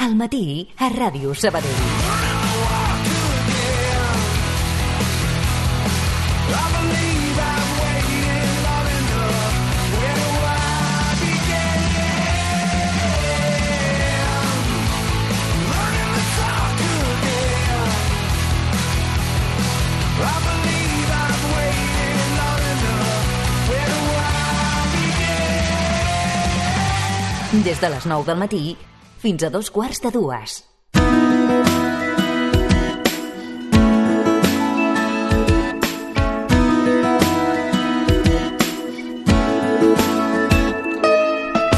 Al matí a Ràdio Sabadell. Des de les 9 del matí fins a 2:15.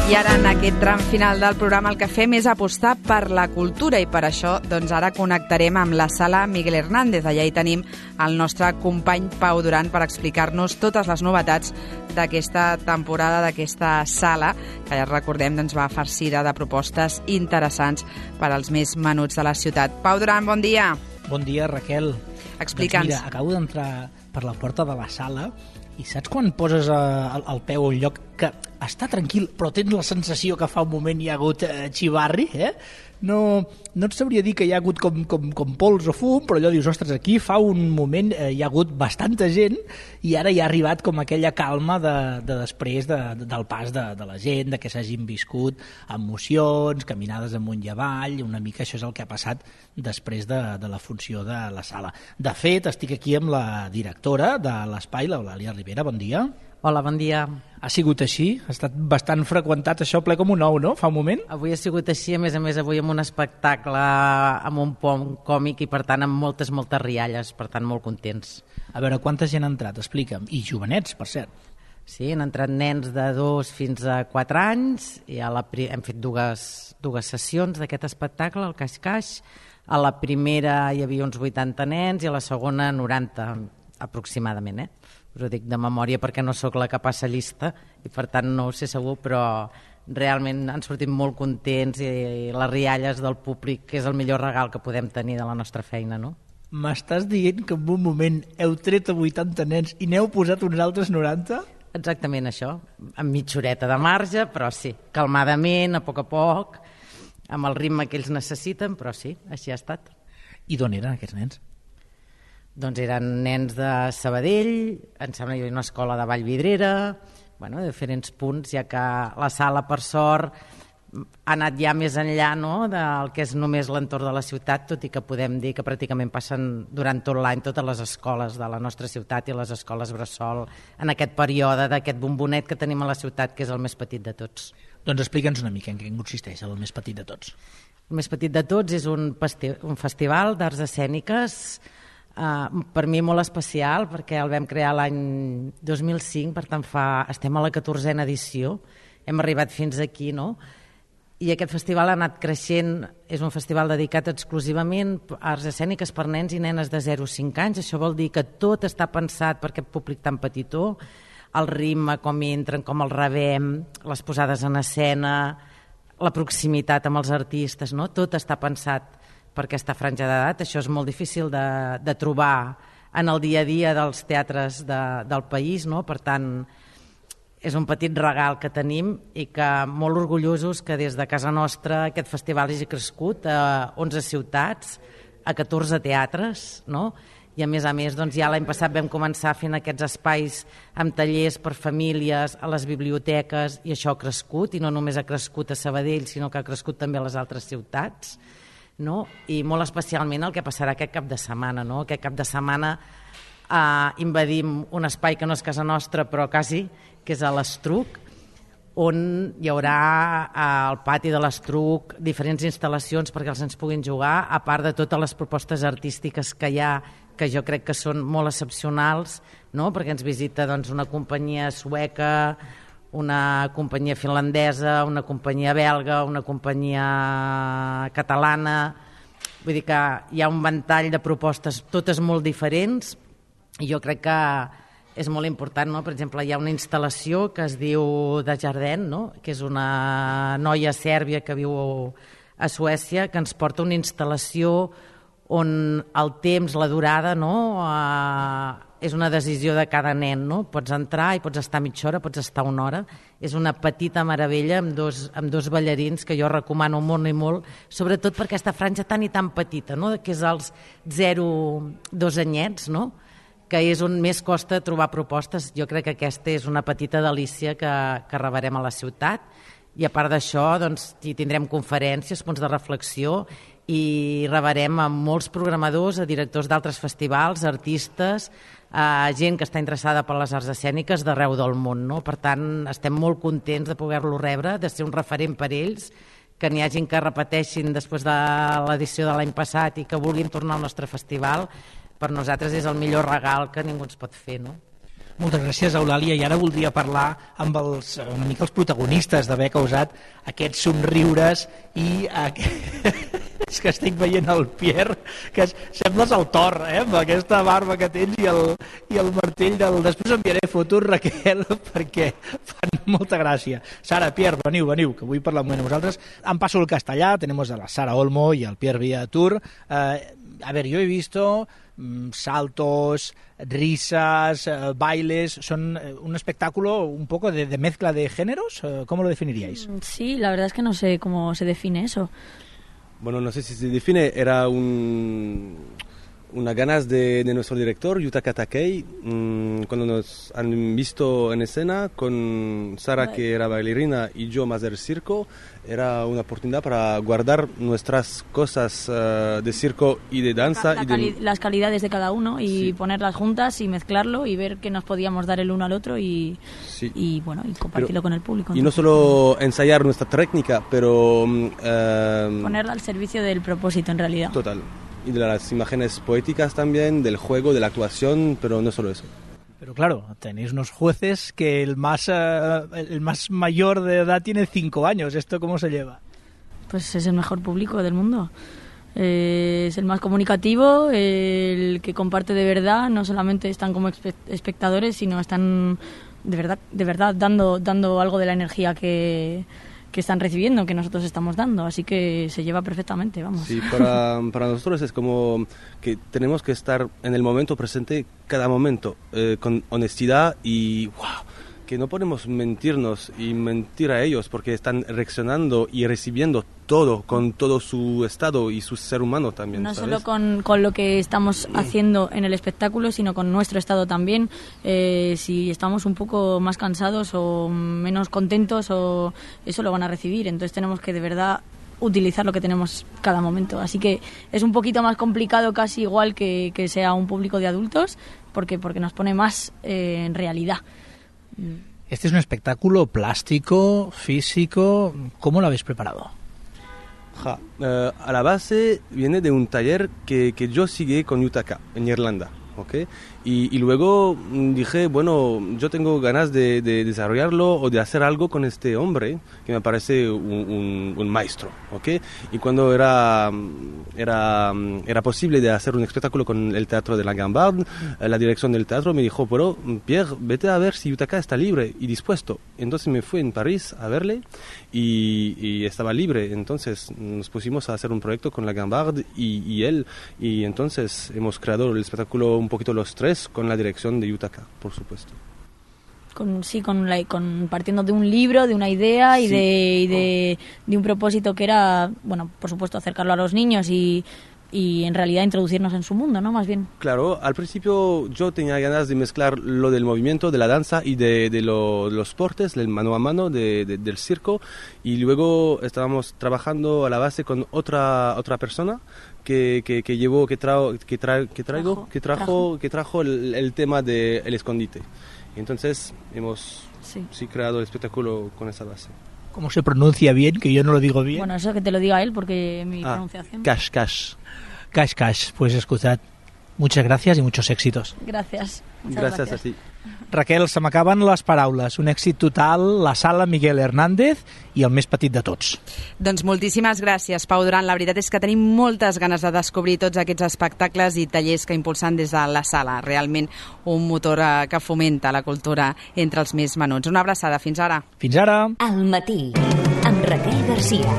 I ara, en aquest tram final del programa, el que fem és apostar per la cultura i per això doncs ara connectarem amb la sala Miguel Hernández. Allà hi tenim el nostre company Pau Duran per explicar-nos totes les novetats d'aquesta temporada, d'aquesta sala, que ja recordem doncs, va farcida de propostes interessants per als més menuts de la ciutat. Pau Duran, bon dia. Bon dia, Raquel. Explica'ns. Doncs mira, acabo d'entrar per la porta de la sala i saps quan poses el peu a un lloc que està tranquil, però tens la sensació que fa un moment hi ha hagut xivarri, No et sabria dir que hi ha hagut com pols o fum, però allò dius, ostres, aquí fa un moment hi ha hagut bastanta gent i ara hi ha arribat com aquella calma de després del pas de la gent, de que s'hagin viscut emocions, caminades amunt i avall, una mica això és el que ha passat després de la funció de la sala. De fet, estic aquí amb la directora de l'espai, l'Eulàlia Ribera, bon dia. Hola, bon dia. Ha sigut així? Ha estat bastant freqüentat això, ple com un ou, no? Fa un moment? Avui ha sigut així, a més avui amb un espectacle amb un pont còmic i per tant amb moltes rialles, per tant molt contents. A veure, quanta gent ha entrat? Explica'm. I jovenets, per cert. Sí, han entrat nens de 2 fins a 4 anys i hem fet dues sessions d'aquest espectacle, el Caix-Caix. A la primera hi havia uns 80 nens i a la segona 90 aproximadament, Us ho dic de memòria perquè no sóc la que passa llista i per tant no ho sé segur, però realment han sortit molt contents i les rialles del públic, que és el millor regal que podem tenir de la nostra feina, no? M'estàs dient que en un moment heu tret a 80 nens i n'heu posat uns altres 90? Exactament això, amb mitja horeta de marge, però sí, calmadament, a poc, amb el ritme que ells necessiten, però sí, així ha estat. I d'on eren aquests nens? Doncs eren nens de Sabadell, em sembla que hi havia una escola de Vallvidrera, de diferents punts, ja que la sala, per sort, ha anat ja més enllà del que és només l'entorn de la ciutat, tot i que podem dir que pràcticament passen durant tot l'any totes les escoles de la nostra ciutat i les escoles bressol en aquest període d'aquest bombonet que tenim a la ciutat, que és el més petit de tots. Doncs explica'ns una mica en què consisteix el més petit de tots. El més petit de tots és un festival d'arts escèniques, per mi molt especial perquè el vam crear l'any 2005, per tant estem a la 14a edició, hem arribat fins aquí, i aquest festival ha anat creixent, és un festival dedicat exclusivament a arts escèniques per nens i nenes de 0 a 5 anys, això vol dir que tot està pensat per aquest públic tan petitó, el ritme, com entren, com el rebem, les posades en escena, la proximitat amb els artistes, tot està pensat per aquesta franja d'edat. Això és molt difícil de trobar en el dia a dia dels teatres del país, per tant és un petit regal que tenim i que molt orgullosos que des de casa nostra aquest festival hagi crescut a 11 ciutats, a 14 teatres, i a més ja l'any passat vam començar fent aquests espais amb tallers per famílies a les biblioteques i això ha crescut, i no només ha crescut a Sabadell sinó que ha crescut també a les altres ciutats, i molt especialment el que passarà aquest cap de setmana. Aquest cap de setmana invadim un espai que no és casa nostra però quasi, que és a l'Estruc, on hi haurà al pati de l'Estruc diferents instal·lacions perquè els nens puguin jugar, a part de totes les propostes artístiques que hi ha, que jo crec que són molt excepcionals, perquè ens visita una companyia sueca, una companyia finlandesa, una companyia belga, una companyia catalana. Vull dir que hi ha un ventall de propostes, totes molt diferents, i jo crec que és molt important. Per exemple, hi ha una instal·lació que es diu de Jardin, que és una noia sèrbia que viu a Suècia, que ens porta una instal·lació on el temps, la durada, és una decisió de cada nen, no? Pots entrar i pots estar mitja hora, pots estar una hora. És una petita meravella amb dos ballarins que jo recomano molt i molt, sobretot per aquesta franja tan i tan petita, no? Que és els 0-2 anyets, no? Que és on més costa trobar propostes. Jo crec que aquesta és una petita delícia que rebrem a la ciutat. I a part d'això, doncs, hi tindrem conferències, punts de reflexió, i rebrem a molts programadors, a directors d'altres festivals, artistes, a gent que està interessada per les arts escèniques d'arreu del món, no? Per tant, estem molt contents de poder-lo rebre, de ser un referent per ells, que n'hi hagin que repeteixin després de l'edició de l'any passat i que vulguin tornar al nostre festival. Per nosaltres és el millor regal que ningú ens pot fer, no? Moltes gràcies, Eulàlia, i ara voldria parlar amb una mica els protagonistes d'haver causat aquests somriures i és que estic veient el Pierre, que sembles el Thor, amb aquesta barba que tens i el martell del... Després enviaré fotos, Raquel, perquè fan molta gràcia. Sara, Pierre, veniu, que vull parlar amb vosaltres. Em passo el castellà, tenemos a la Sara Olmo y al Pierre Villatur. A ver, yo he visto saltos, risas, bailes, son un espectáculo un poco de mezcla de géneros. ¿Cómo lo definiríais? Sí, la verdad es que no sé cómo se define eso. Bueno, no sé si se define, era una ganas de nuestro director, Yutaka Takei, cuando nos han visto en escena con Sara, que era bailarina, y yo más del circo. Era una oportunidad para guardar nuestras cosas de circo y de danza. Las calidades de cada uno y ponerlas juntas y mezclarlo y ver qué nos podíamos dar el uno al otro y compartirlo con el público. Y no solo ensayar nuestra técnica, pero... ponerla al servicio del propósito en realidad. Total. Y de las imágenes poéticas también, del juego, de la actuación, pero no solo eso. Pero claro, tenéis unos jueces que el más mayor de edad tiene 5 años. ¿Esto cómo se lleva? Pues es el mejor público del mundo. Es el más comunicativo, el que comparte de verdad. No solamente están como espectadores, sino están de verdad dando algo de la energía que están recibiendo, que nosotros estamos dando, así que se lleva perfectamente, vamos. Sí, para nosotros es como que tenemos que estar en el momento presente, cada momento, con honestidad y que no podemos mentirnos y mentir a ellos porque están reaccionando y recibiendo todo, con todo su estado y su ser humano también. No ¿sabes? Solo con lo que estamos haciendo en el espectáculo, sino con nuestro estado también. Si estamos un poco más cansados o menos contentos, o eso lo van a recibir. Entonces tenemos que de verdad utilizar lo que tenemos cada momento. Así que es un poquito más complicado, casi igual que sea un público de adultos, porque nos pone más en realidad. Este es un espectáculo plástico, físico. ¿Cómo lo habéis preparado? A la base viene de un taller que yo seguí con Yutaka en Irlanda, ¿ok? Y luego dije, bueno, yo tengo ganas de desarrollarlo o de hacer algo con este hombre que me parece un maestro, ¿ok? Y cuando era posible de hacer un espectáculo con el Teatro de la Gambard, la dirección del teatro me dijo, pero Pierre, vete a ver si Yutaka está libre y dispuesto. Entonces me fui en París a verle y estaba libre. Entonces nos pusimos a hacer un proyecto con la Gambard y él, y entonces hemos creado el espectáculo un poquito los tres, con la dirección de Yutaka, por supuesto. Partiendo de un libro, de una idea y de un propósito que era, bueno, por supuesto, acercarlo a los niños y en realidad introducirnos en su mundo, ¿no? Más bien. Claro, al principio yo tenía ganas de mezclar lo del movimiento, de la danza y de los portes, del mano a mano, del circo, y luego estábamos trabajando a la base con otra persona que trajo el tema del escondite. Entonces hemos creado el espectáculo con esa base. ¿Cómo se pronuncia bien? Que yo no lo digo bien. Bueno, eso que te lo diga él, porque mi pronunciación... Cash. Pues escuchad, muchas gracias y muchos éxitos. Gràcies. Gràcies a ti. Raquel, se m'acaben les paraules. Un èxit total, la Sala Miguel Hernández i el més petit de tots. Doncs moltíssimes gràcies, Pau Duran. La veritat és que tenim moltes ganes de descobrir tots aquests espectacles i tallers que impulsen des de la Sala. Realment un motor que fomenta la cultura entre els més menuts. Una abraçada. Fins ara. Fins ara. Al matí, amb Raquel Garcia.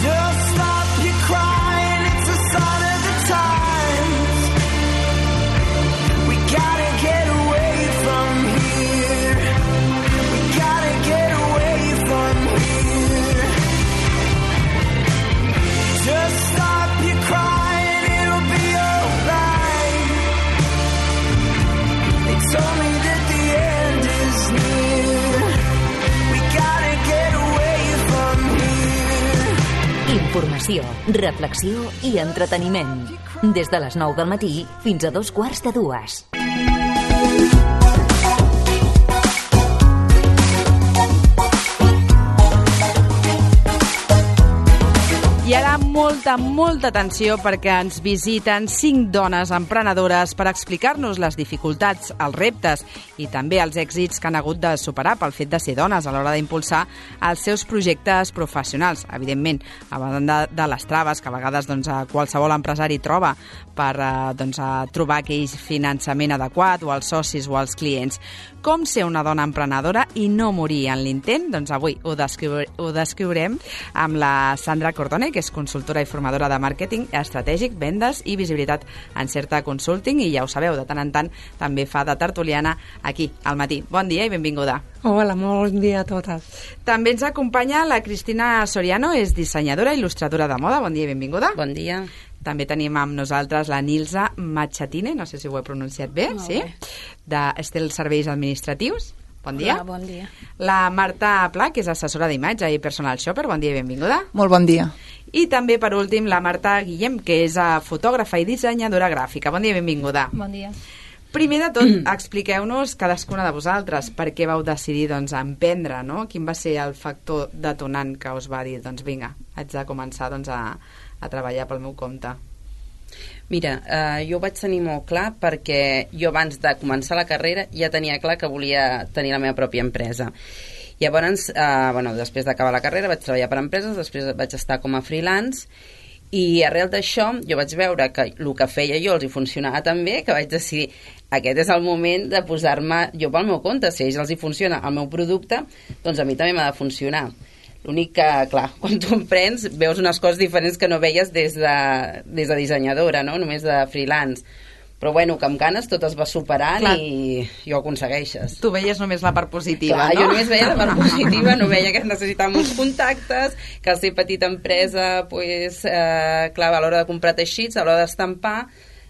Just stop your crying, it's a sign of the times. We gotta Informació, reflexió i entreteniment. Des de les 9 del matí fins a 2:45. I ara molta atenció perquè ens visiten 5 dones emprenedores per explicar-nos les dificultats, els reptes i també els èxits que han hagut de superar pel fet de ser dones a l'hora d'impulsar els seus projectes professionals. Evidentment, a banda de les traves que a vegades qualsevol empresari troba per trobar aquell finançament adequat o els socis o els clients. Com ser una dona emprenedora i no morir en l'intent? Doncs avui ho descriurem amb la Sandra Cordone, que és consultora i formadora de màrqueting estratègic, vendes i visibilitat en Certa Consulting, i ja ho sabeu, de tant en tant també fa de tertuliana aquí, al matí. Bon dia i benvinguda. Hola, molt bon dia a totes. També ens acompanya la Cristina Soriano, és dissenyadora i il·lustradora de moda. Bon dia i benvinguda. Bon dia. També tenim amb nosaltres la Nilsa Machatine, no sé si ho he pronunciat bé, sí? D'Estel Serveis Administratius. Bon dia. Hola, bon dia. La Marta Pla, que és assessora d'imatge i personal shopper. Bon dia i benvinguda. Molt bon dia. I també, per últim, la Marta Guillem, que és fotògrafa i dissenyadora gràfica. Bon dia i benvinguda. Bon dia. Primer de tot, expliqueu-nos cadascuna de vosaltres per què vau decidir emprendre, no? Quin va ser el factor detonant que us va dir, vinga, haig de començar a treballar pel meu compte? Mira, jo ho vaig tenir molt clar perquè jo abans de començar la carrera ja tenia clar que volia tenir la meva pròpia empresa. Llavors, després d'acabar la carrera vaig treballar per empreses, després vaig estar com a freelance i arrel d'això jo vaig veure que el que feia jo els hi funcionava tan bé que vaig decidir aquest és el moment de posar-me jo pel meu compte. Si a ells els hi funciona el meu producte, doncs a mi també m'ha de funcionar. L'únic que, clar, quan tu emprens veus unes coses diferents que no veies des de dissenyadora, no? Només de freelance. Però bueno, que amb ganes tot es va superant, clar, i ho aconsegueixes. Tu veies només la part positiva, clar, no? Jo només veia la part positiva, no veia que necessitava molts contactes, que al ser petita empresa, clar, a l'hora de comprar teixits, a l'hora d'estampar,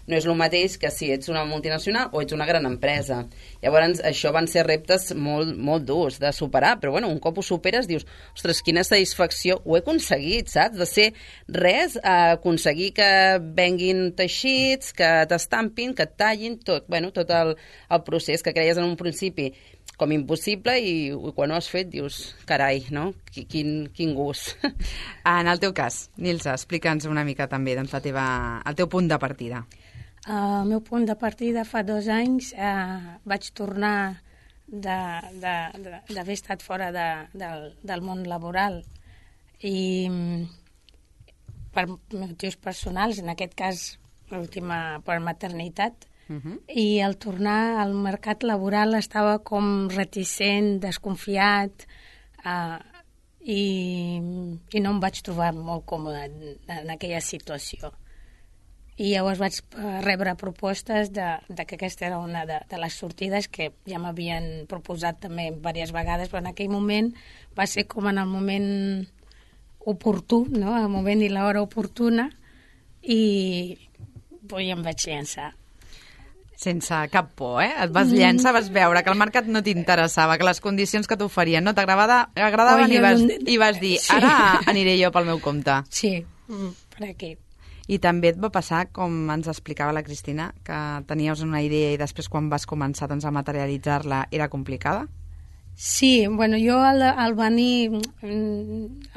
no és el mateix que si ets una multinacional o ets una gran empresa. Llavors, això van ser reptes molt, molt durs de superar, però bueno, un cop ho superes dius, ostres, quina satisfacció, ho he aconseguit, saps? De ser res a aconseguir que venguin teixits, que t'estampin, que et tallin, tot el procés que creies en un principi com impossible i quan ho has fet dius, carai, no? Quin gust. En el teu cas, Nilsa, explica'ns una mica també el teu punt de partida. El meu punt de partida fa 2 anys vaig tornar d'haver estat fora del món laboral i per motius personals, en aquest cas l'última per maternitat, i al tornar al mercat laboral estava com reticent, desconfiat i no em vaig trobar molt còmode en aquella situació. I llavors vaig rebre propostes de que aquesta era una de les sortides que ja m'havien proposat també diverses vegades, però en aquell moment va ser com en el moment oportú, no? El moment i l'hora oportuna, i em vaig llançar. Sense cap por, eh? Et vas llançar, vas veure que el mercat no t'interessava, que les condicions que t'oferien no t'agradaven i vas dir, ara aniré jo pel meu compte. Sí, per aquí. I també et va passar, com ens explicava la Cristina, que teníeu una idea i després quan vas començar a materialitzar-la era complicada? Sí, bueno, jo al venir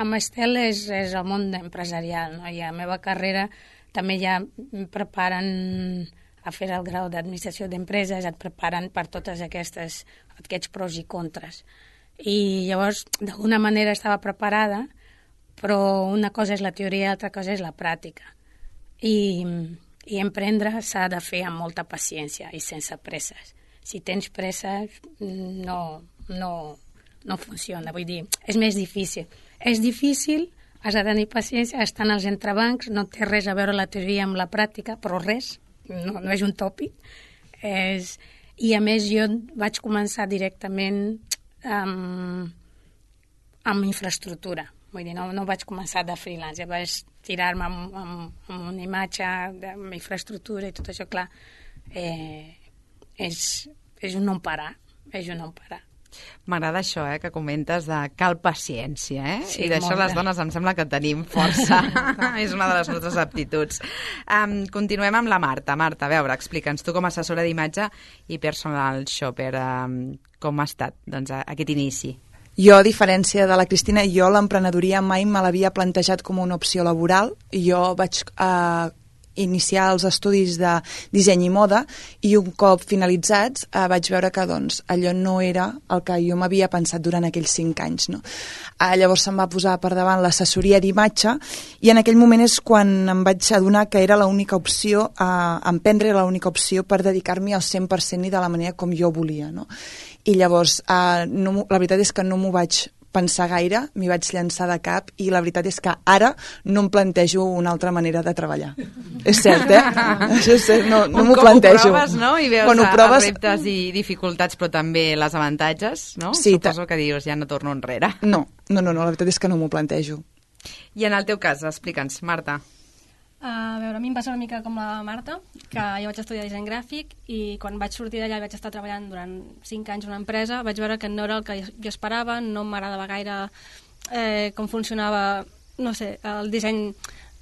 amb Estel és el món empresarial, no? I a la meva carrera també ja em preparen a fer el grau d'administració d'empreses, et preparen per totes aquests pros i contres. I llavors, d'alguna manera estava preparada, però una cosa és la teoria i l'altra cosa és la pràctica. I emprendre s'ha de fer amb molta paciència i sense presses. Si tens presses, no funciona. Vull dir, és més difícil. És difícil, has de tenir paciència, estan als entrebancs, no té res a veure la teoria amb la pràctica, però res, no és un tòpic. I a més jo vaig començar directament amb infraestructura. Vull dir, no vaig començar de freelance, ja vaig tirar-me amb una imatge, amb infraestructura i tot això, clar, és un no parar, M'agrada això, que comentes de cal paciència, Sí, i d'això molta. les dones em sembla que tenim força. És una de les nostres aptituds. Continuem amb la Marta. Marta, a veure, explica'ns, tu com a assessora d'imatge i personal shopper, com ha estat aquest inici? Jo, a diferència de la Cristina, l'emprenedoria mai me l'havia plantejat com una opció laboral. Jo vaig iniciar els estudis de disseny i moda i un cop finalitzats vaig veure que allò no era el que jo m'havia pensat durant aquells 5 anys. No? Llavors se'm va posar per davant l'assessoria d'imatge i en aquell moment és quan em vaig adonar que era l'única opció, emprendre l'única opció per dedicar-m'hi al 100% i de la manera com jo volia. No? I llavors la veritat és que no m'ho vaig pensar gaire, m'hi vaig llançar de cap i la veritat és que ara no em plantejo una altra manera de treballar. És cert, Això és cert, no m'ho plantejo. Un cop ho proves, no? I veus els reptes i dificultats, però també les avantatges, no? Sí, suposo que dius, ja no torno enrere. No, la veritat és que no m'ho plantejo. I en el teu cas, explica'ns, Marta. A veure, a mi em passa una mica com la Marta, que jo vaig estudiar disseny gràfic i quan vaig sortir d'allà i vaig estar treballant durant 5 anys en una empresa, vaig veure que no era el que jo esperava, no m'agradava gaire com funcionava, no sé, el disseny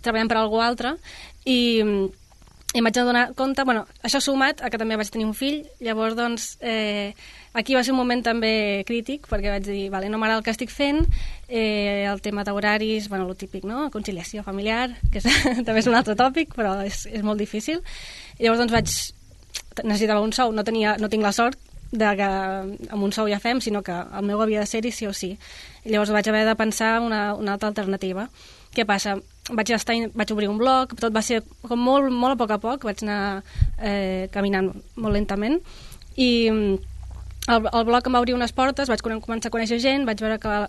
treballant per a algú altre i em vaig adonar compte, això sumat a que també vaig tenir un fill, llavors aquí va ser un moment també crític perquè vaig dir, vale, no m'agrada el que estic fent, el tema d'horaris, el típic, no? Conciliació familiar, que també és un altre tòpic, però és molt difícil. I llavors necessitava un sou, no tinc la sort de que amb un sou ja fem, sinó que el meu havia de ser-hi sí o sí. I llavors vaig haver de pensar una altra alternativa. Què passa? Vaig obrir un blog, tot va ser com molt a poc, vaig anar caminant molt lentament i el blog em va obrir unes portes, vaig començar a conèixer gent, vaig veure que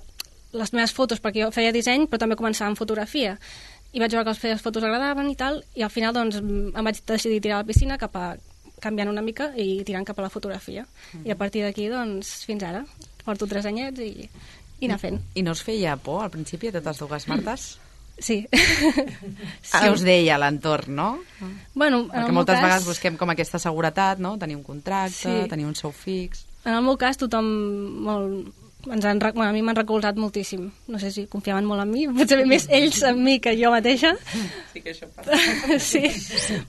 les meves fotos, perquè jo feia disseny però també començava amb fotografia i vaig veure que les fotos agradaven i tal, i al final em vaig decidir tirar a la piscina canviant una mica i tirant cap a la fotografia i a partir d'aquí fins ara porto 3 anyets i anar fent. I no us feia por al principi a totes dues Martes? Sí. Què us deia l'entorn, no? Perquè moltes vegades busquem com aquesta seguretat, no? Tenir un contracte, tenir un sou fix. En el meu cas tothom a mi m'han recolzat moltíssim. No sé si confiaven molt en mi, potser més ells en mi que jo mateixa. Sí que això passa. Sí,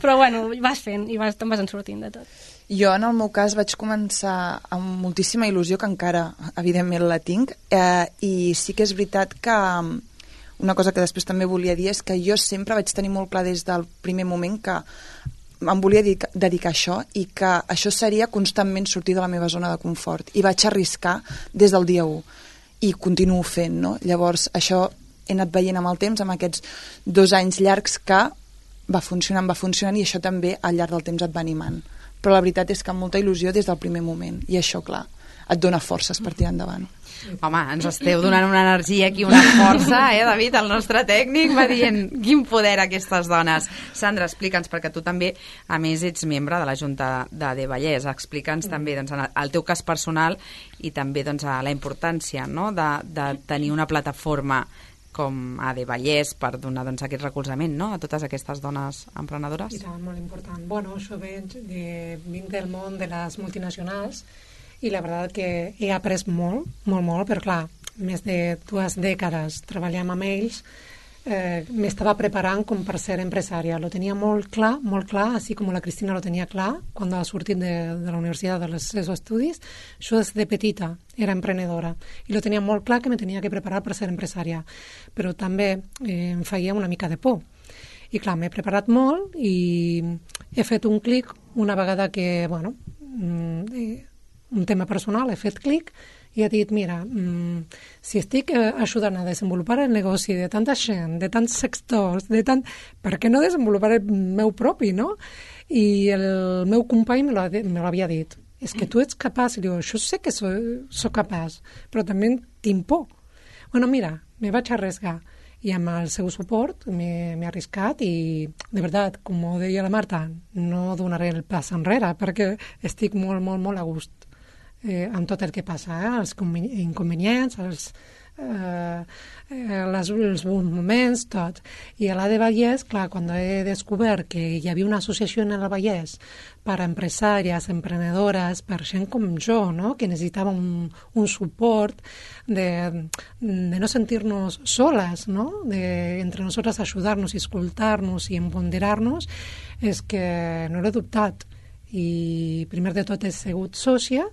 però vas fent i te'n vas en sortint de tot. Jo, en el meu cas, vaig començar amb moltíssima il·lusió, que encara, evidentment, la tinc, i sí que és veritat que una cosa que després també volia dir és que jo sempre vaig tenir molt clar des del primer moment que em volia dedicar a això i que això seria constantment sortir de la meva zona de confort i vaig arriscar des del dia 1 i continuo fent, no? Llavors això he anat veient amb el temps, amb aquests 2 anys llargs que va funcionant i això també al llarg del temps et va animant, però la veritat és que amb molta il·lusió des del primer moment i això, clar, et dona forces per tirar endavant. Home, ens esteu donant una energia aquí, una força, David, el nostre tècnic va dient quin poder aquestes dones. Sandra, explica'ns, perquè tu també, a més, ets membre de la Junta de Vallès, explica'ns també el teu cas personal i també la importància de tenir una plataforma com AD Vallès per donar aquest recolzament a totes aquestes dones emprenedores. I tant, molt important. Això vinc del món de les multinacionals i la veritat que he après molt, però clar, més de 2 dècades treballant amb ells, m'estava preparant com per ser empresària. Lo tenia molt clar, així com la Cristina lo tenia clar quan ha sortit de la universitat dels seus estudis. Jo des de petita era emprenedora i lo tenia molt clar que me tenia que preparar per ser empresària, però també em feia una mica de por. I clar, m'he preparat molt i he fet un clic una vegada que, un tema personal, he fet clic i he dit, mira, si estic ajudant a desenvolupar el negoci de tanta gent, de tants sectors, per què no desenvolupar el meu propi, no? I el meu company me l'havia dit, és que tu ets capaç, i diu, jo sé que soc capaç, però també tinc por. Mira, me vaig arriesgar i amb el seu suport m'he arriscat i, de veritat, com ho deia la Marta, no donaré el pas enrere perquè estic molt a gust amb tot el que passa, els inconvenients, els bons moments, tot. I a la de Vallès, clar, quan he descobert que hi havia una associació en el Vallès per a empresàries, emprenedores, per gent com jo, no?, que necessitava un suport de no sentir-nos soles, no?, de entre nosaltres ajudar-nos i escoltar-nos i empoderar-nos, és que no l'he dubtat. I primer de tot he sigut sòcia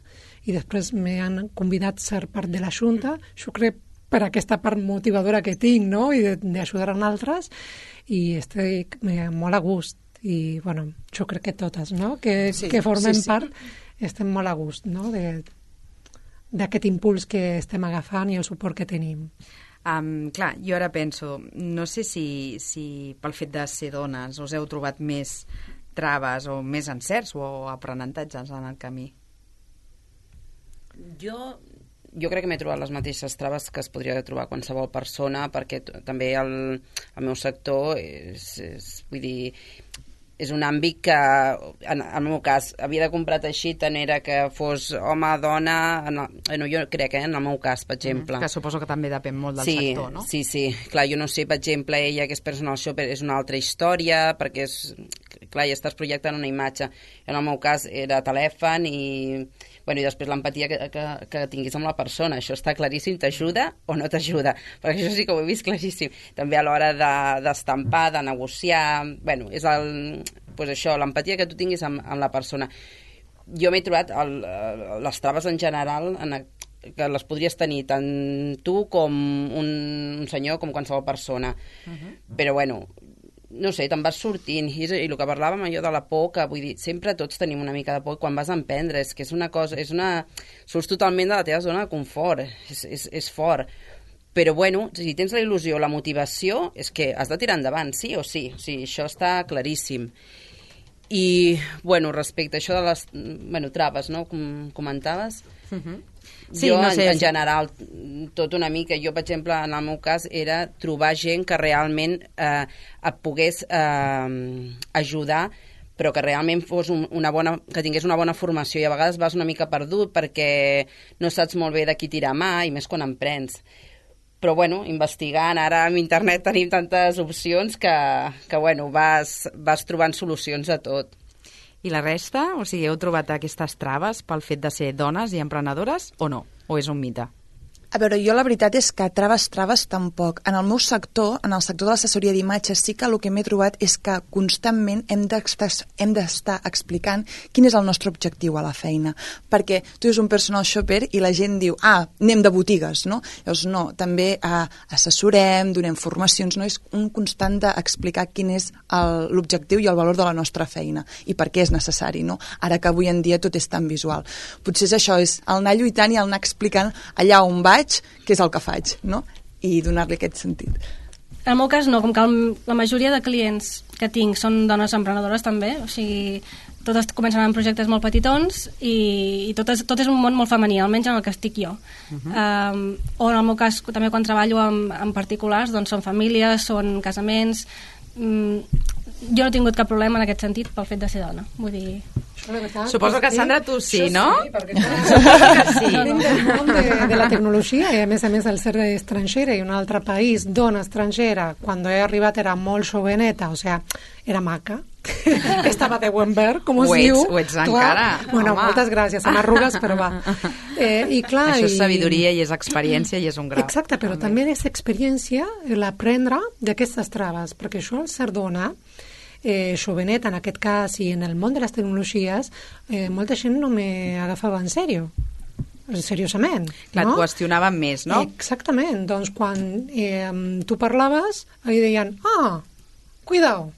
i després m'han convidat a ser part de la Junta, jo crec per aquesta part motivadora que tinc, no?, i d'ajudar a altres, i estic molt a gust. I, bueno, jo crec que totes, no?, que formem part, estem molt a gust, no?, d'aquest impuls que estem agafant i el suport que tenim. Clar, jo ara penso, no sé si pel fet de ser dones us heu trobat més traves o més encerts o aprenentatges en el camí. Jo crec que m'he trobat les mateixes traves que es podria trobar qualsevol persona, perquè també el meu sector vull dir, és un àmbit que, en el meu cas, havia de comprar teixit, tant era que fos home, dona, jo crec, en el meu cas, per exemple. Que suposo que també depèn molt del sector, no? Sí. Clar, jo no sé, per exemple, ella que és personal shopper és una altra història, perquè clar, ja estàs projectant una imatge. En el meu cas era telèfon i després l'empatia que tinguis amb la persona. Això està claríssim, t'ajuda o no t'ajuda, perquè això sí que ho he vist claríssim. També a l'hora d'estampar, de negociar, és això, l'empatia que tu tinguis amb la persona. Jo m'he trobat les traves en general que les podries tenir tant tu com un senyor, com qualsevol persona. Però no sé, te'n vas sortint, i el que parlàvem allò de la por, que vull dir, sempre tots tenim una mica de por quan vas a emprendre, és que és una cosa, surts totalment de la teva zona de confort, és fort, però si tens la il·lusió, la motivació, és que has de tirar endavant, sí o sí, això està claríssim. I, respecte a això de les traves, no?, com comentaves, sí, jo, no sé, en general, tot una mica. Jo, per exemple, en el meu cas, era trobar gent que realment et pogués ajudar, però que realment fos que tingués una bona formació, i a vegades vas una mica perdut perquè no saps molt bé de qui tirar mà, i més quan emprens. Però, investigant, ara amb internet tenim tantes opcions que vas trobant solucions a tot. I la resta? O sigui, heu trobat aquestes traves pel fet de ser dones i emprenedores o no? O és un mite? A veure, jo la veritat és que traves tampoc. En el meu sector, en el sector de l'assessoria d'imatges, sí que el que m'he trobat és que constantment hem d'estar explicant quin és el nostre objectiu a la feina. Perquè tu ets un personal shopper i la gent diu, anem de botigues, no? Llavors, no, també assessorem, donem formacions, no? És un constant d'explicar quin és l'objectiu i el valor de la nostra feina i per què és necessari, no? Ara que avui en dia tot és tan visual. Potser és això, és el anar lluitant i el anar explicant allà on vaig, què és el que faig, no? I donar-li aquest sentit. En el meu cas no, com que la majoria de clients que tinc són dones emprenedores també, o sigui, totes comencen amb projectes molt petitons i tot és un món molt femení, almenys en el que estic jo. O en el meu cas, també quan treballo amb particulars, doncs són famílies, són casaments. Jo no he tingut cap problema en aquest sentit pel fet de ser dona, vull dir... Suposo que, Sandra, tu sí, no? Sí, perquè sí. Venim del món de la tecnologia i, a més, el ser estrangera i un altre país, dona estrangera, quan he arribat era molt joveneta, o sigui, era maca. Estava de buen ver, com es diu. Ho ets encara. Bueno, moltes gràcies, amb arrugues, però va. I clar, això és sabidoria i és experiència i és un grau. Exacte, però també és experiència l'aprendre d'aquestes traves, perquè això, al ser dona, jovenet en aquest cas i en el món de les tecnologies, molta gent no m'agafava en sèrio, seriosament. Clar, no? Et qüestionaven més, no? Exactament, doncs quan tu parlaves, li deien, cuidao. Cuidao.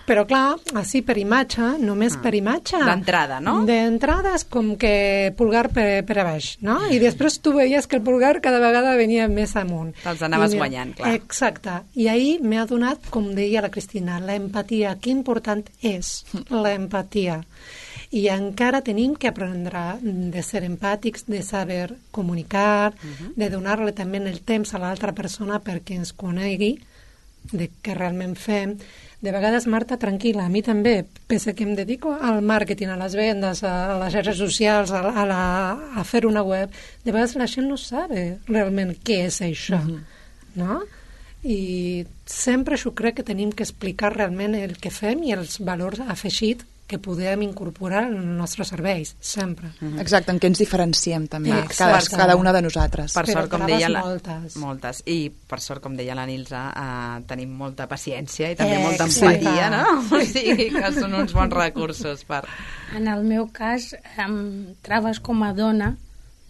Però clar, així per imatge, només per imatge. D'entrada, no? D'entrada és com que pulgar per a baix, no? I després tu veies que el pulgar cada vegada venia més amunt. Te'ls anaves guanyant, clar. Exacte. I ahir m'ha donat, com deia la Cristina, l'empatia. Que important és l'empatia. I encara tenim que aprendre de ser empàtics, de saber comunicar, de donar-li també el temps a l'altra persona perquè ens conegui de què realment fem. De vegades, Marta, tranquil·la, a mi també, pese que em dedico al màrqueting, a les vendes, a les xarxes socials, a fer una web, de vegades la gent no sabe realment què és això, no? I sempre jo crec que tenim que explicar realment el que fem i els valors afegits que podem incorporar en els nostres serveis, sempre. Exacte, en què ens diferenciem també, cada una de nosaltres. Per sort, com deia moltes. I per sort, com deia la Nilsa, tenim molta paciència i també molta empatia, no? O sigui que són uns bons recursos per... En el meu cas, traves com a dona,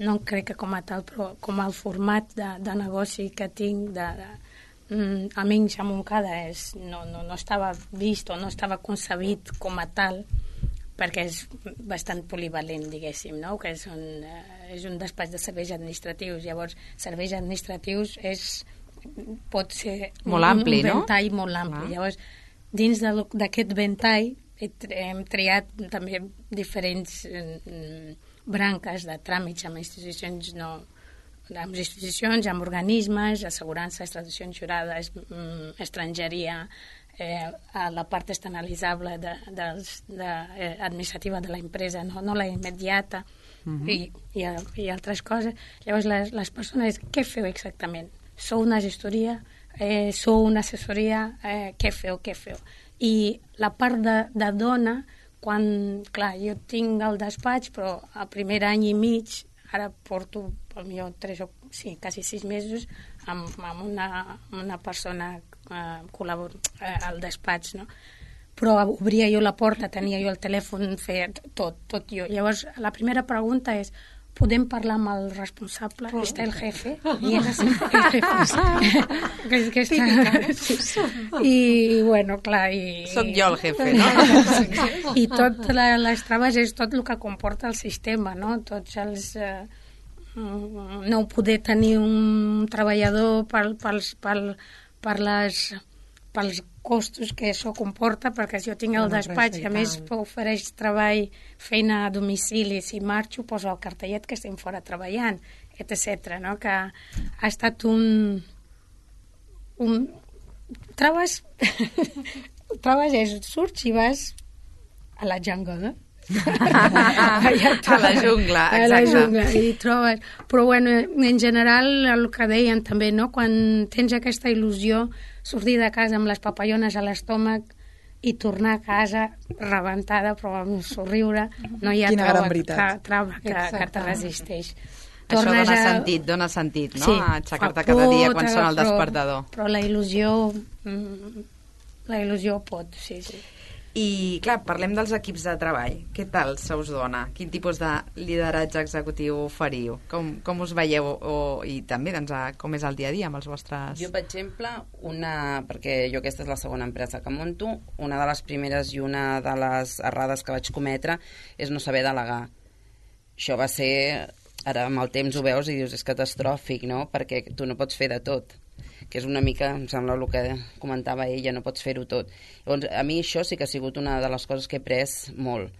no crec que com a tal, però com el format de negoci que tinc almenys a Montcada no estava vist o no estava concebit com a tal, perquè és bastant polivalent, diguéssim, no? Que és un despatx de serveis administratius. Llavors, serveis administratius pot ser molt ampli, un ventall molt ampli. Llavors, dins d'aquest ventall hem triat també diferents branques de tràmits amb institucions amb organismes, assegurances, traduccions jurades, estrangeria, a la part externalitzable administrativa de la empresa, no la immediata, i altres coses. Llavors, les persones, què feu exactament? Sou una gestoria? Sou una assessoria? Què feu? I la part de dona, quan, clar, jo tinc el despatx, però el primer any i mig, ara porto quasi 6 mesos amb una persona al despatx, no? Però obria jo la porta, tenia jo el telèfon, feia tot jo. Llavors, la primera pregunta és: podem parlar amb el responsable? Està el jefe? I el jefe. I, bueno, clar... Soc jo el jefe, no? I tot les traves és tot el que comporta el sistema, no? Tots els... no poder tenir un treballador pels costos que això comporta, perquè si jo tinc el despatx i a més ofereix treball, feina a domicili, si marxo poso el cartellet que estem fora treballant, etc. No? Que ha estat un trobes surts i vas a la jungle, a la jungla, exacte. I trobes, però bueno, en general el que deien també, no? Quan tens aquesta il·lusió, sortir de casa amb les papallones a l'estómac i tornar a casa rebentada però amb un somriure, no hi ha trava que te resisteix. Això dona sentit, no? Sí, aixecar-te cada dia quan sona el despertador. Però la il·lusió pot, sí. I, clar, parlem dels equips de treball. Què tal se us dona? Quin tipus de lideratge executiu oferiu? Com us veieu? I també, doncs, com és el dia a dia amb els vostres... Jo, per exemple, perquè jo aquesta és la segona empresa que monto, una de les primeres i una de les errades que vaig cometre és no saber delegar. Això va ser... Ara, amb el temps ho veus i dius, és catastròfic, no? Perquè tu no pots fer de tot, que és una mica, em sembla, el que comentava ella, no pots fer-ho tot. Llavors, a mi això sí que ha sigut una de les coses que he après molt.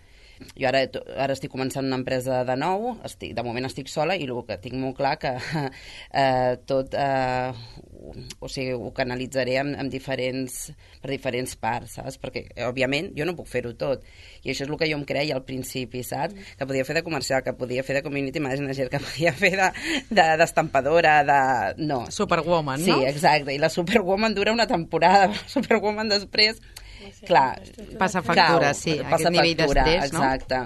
Jo ara estic començant una empresa de nou, de moment estic sola i el que tinc molt clar que tot o sigui, ho canalitzaré per diferents parts, saps? Perquè, òbviament, jo no puc fer-ho tot. I això és el que jo em creia al principi, saps? Que podia fer de comercial, que podia fer de community manager, que podia fer d'estampadora, no. Superwoman, no? Sí, exacte. I la Superwoman dura una temporada, la Superwoman després... Clar, passa factura, sí, aquest nivell d'estrès, no? Exacte.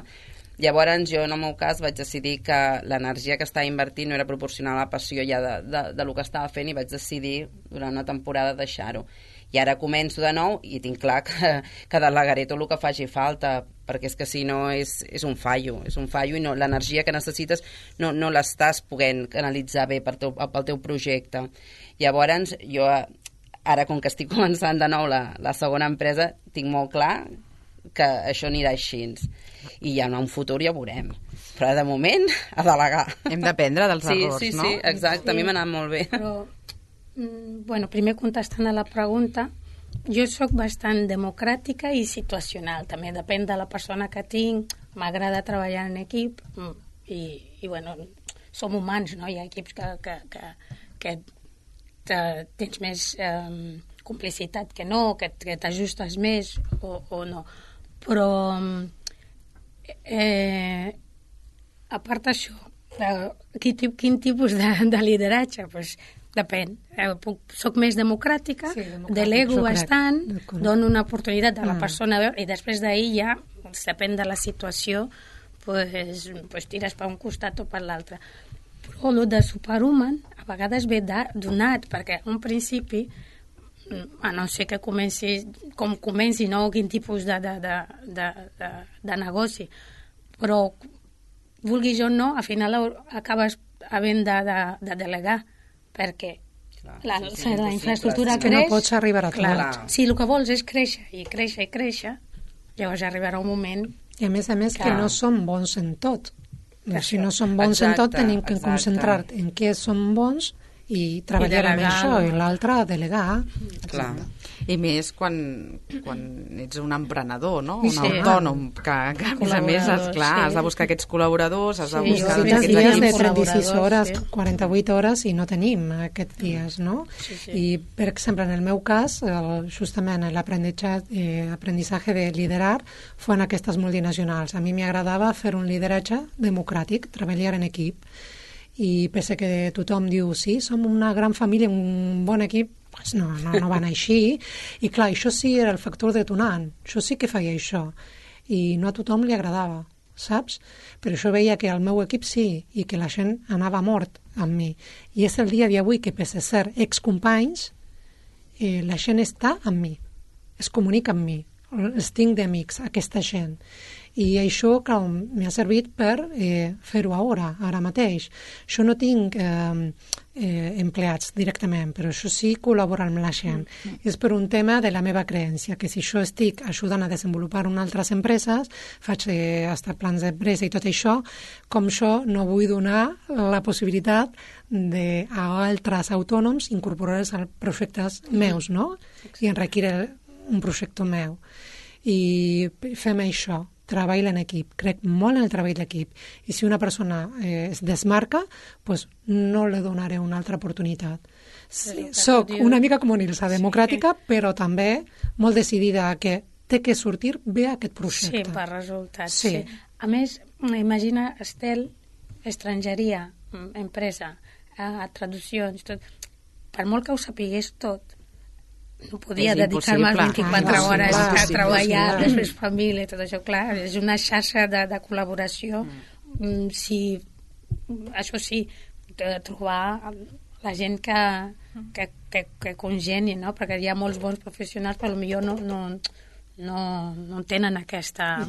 Llavors jo en el meu cas vaig decidir que l'energia que estava invertint no era proporcional a la passió ja de lo que estava fent i vaig decidir durant una temporada deixar-ho. I ara començo de nou i tinc clar que delegaré tot el que faci falta, perquè és que si no és un fallo i no, l'energia que necessites no l'estàs podent canalitzar bé pel teu projecte. Llavors jo... Ara, com que estic començant de nou la segona empresa, tinc molt clar que això anirà així. I ja en un futur ja ho veurem. Però de moment, a delegar. Hem d'aprendre dels errors, no? Sí, exacte. A mi m'ha anat molt bé. Però, bueno, primer contestant a la pregunta, jo sóc bastant democràtica i situacional. També depèn de la persona que tinc. M'agrada treballar en equip i bueno, som humans, no? Hi ha equips que tens més complicitat que no, que t'ajustes més o no. Però a part d'això, quin tipus de lideratge? Pues, depèn. Soc més democràtica, delego bastant, dono una oportunitat a la persona i després d'ahir ja, depèn de la situació, pues tires per un costat o per l'altre. Però el de superhuman a vegades ve donat, perquè un principi, a no ser que comenci, no quin tipus de negoci, però vulguis o no, al final acabes havent de delegar, perquè la infraestructura creix. No pots arribar a tot. Si el que vols és créixer i créixer i créixer, llavors arribarà un moment... I a més que no som bons en tot. Si no som bons en tot, tenim que concentrar en què som bons i treballar amb això, i l'altre delegar. Clar. I més quan ets un emprenedor, no? Un autònom, que a més a més, has de buscar aquests col·laboradors, has de buscar aquests dies de 36 hores, 48 hores, i no tenim aquests dies, no? I, per exemple, en el meu cas, justament l'aprendizaje de liderar fue en aquestes multinacionals. A mi m'agradava fer un lideratge democràtic, treballar en equip, i pese que tothom diu sí, som una gran família, un bon equip, pues no van així, i clar, això sí era el factor detonant, això sí que feia això, i no a tothom li agradava, saps? Però això veia que el meu equip sí, i que la gent anava mort amb mi, i és el dia d'avui que pese a ser excompanys, la gent està amb mi, es comunica amb mi, els tinc d'amics, aquesta gent. I això m'ha servit per fer-ho ara mateix. Jo no tinc empleats directament, però això sí col·laborar amb la gent. És per un tema de la meva creència, que si jo estic ajudant a desenvolupar unes altres empreses, faig hasta plans d'empresa i tot això, com jo no vull donar la possibilitat a altres autònoms incorporar-los als projectes meus, no? I enriquir un projecte meu. I fem això. Treball en equip, crec molt en el treball d'equip, i si una persona es desmarca, pues no li donaré una altra oportunitat. Soc una mica com Nilsa, democràtica, però també molt decidida que té que sortir bé aquest projecte. Sí, per resultats. Sí. A més, imagina, Estel, estrangeria, empresa, traduccions, tot. Per molt que ho sapigués tot, no podia dedicar-me 24 hores a treballar, després família, tot això, clar, és una xarxa de col·laboració. Això sí, trobar la gent que congeni, no? Perquè hi ha molts bons professionals, però potser no tenen aquesta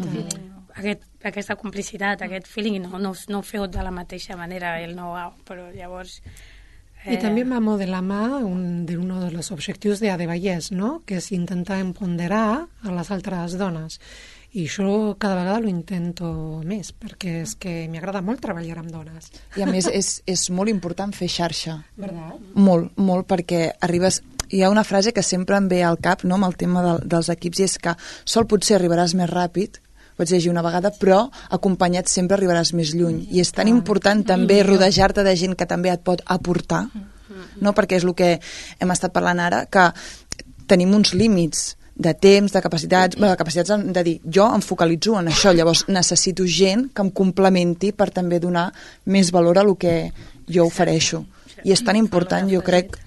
complicitat, aquest feeling, no ho feu de la mateixa manera, el know-how, però llavors... I també va molt de la mà un dels objectius d'Adevallès, no? Que és intentar empoderar a les altres dones. I això cada vegada ho intento més, perquè és que m'agrada molt treballar amb dones. I a més és molt important fer xarxa. Verdad? Molt, molt, perquè arribes... Hi ha una frase que sempre em ve al cap, no?, amb el tema dels equips, i és que sol potser arribaràs més ràpid, pots llegir una vegada, però acompanyat sempre arribaràs més lluny. I és tan important també rodejar-te de gent que també et pot aportar, no? Perquè és el que hem estat parlant ara, que tenim uns límits de temps, de capacitats, de dir, jo em focalitzo en això, llavors necessito gent que em complementi per també donar més valor a el que jo ofereixo. I és tan important, jo crec,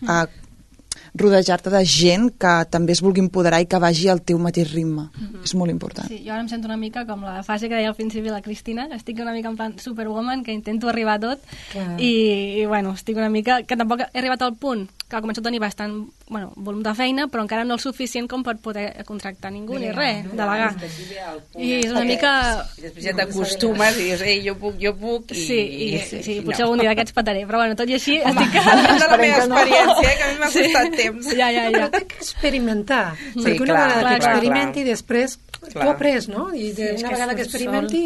rodejar-te de gent que també es vulgui empoderar i que vagi al teu mateix ritme. És molt important. Sí, jo ara em sento una mica com la fase que deia al principi la Cristina, que estic una mica en plan superwoman, que intento arribar a tot, i bueno, estic una mica... que tampoc he arribat al punt que començo a tenir bastant volum de feina, però encara no el suficient com per poder contractar ningú ni res, delegar. I és una mica... I després ja t'acostumes i dius, jo puc... Sí, potser algun dia d'aquests pataré, però bueno, tot i així estic... de la meva experiència, que a mi m'ha costat temps. Ja. Però té que experimentar, perquè una vegada que experimenti, després tu après, no? I una vegada que experimenti,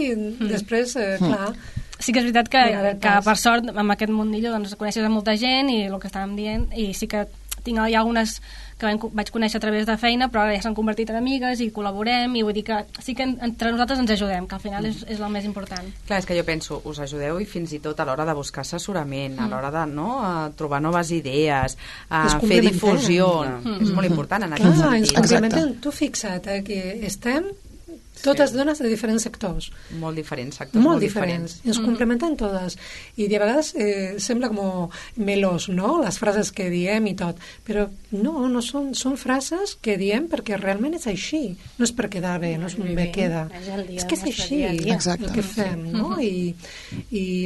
després, clar... Sí que és veritat que per sort amb aquest mundillo doncs, coneixes a molta gent i el que estàvem dient, i sí que hi ha algunes que vaig conèixer a través de feina, però ara ja s'han convertit en amigues i col·laborem, i vull dir que sí que entre nosaltres ens ajudem, que al final és el més important. Clar, és que jo penso, us ajudeu i fins i tot a l'hora de buscar assessorament, a l'hora de trobar noves idees, a fer difusió. És molt important en aquest sentit. Ens complementem. Tu fixa't que estem totes dones de diferents sectors. Molt diferents sectors. Molt diferents. Ens complementem totes. I de vegades sembla com melós, no?, les frases que diem i tot. Però no són frases que diem perquè realment és així. No és per quedar bé, no és un bé queda. És que és així el que fem, no? I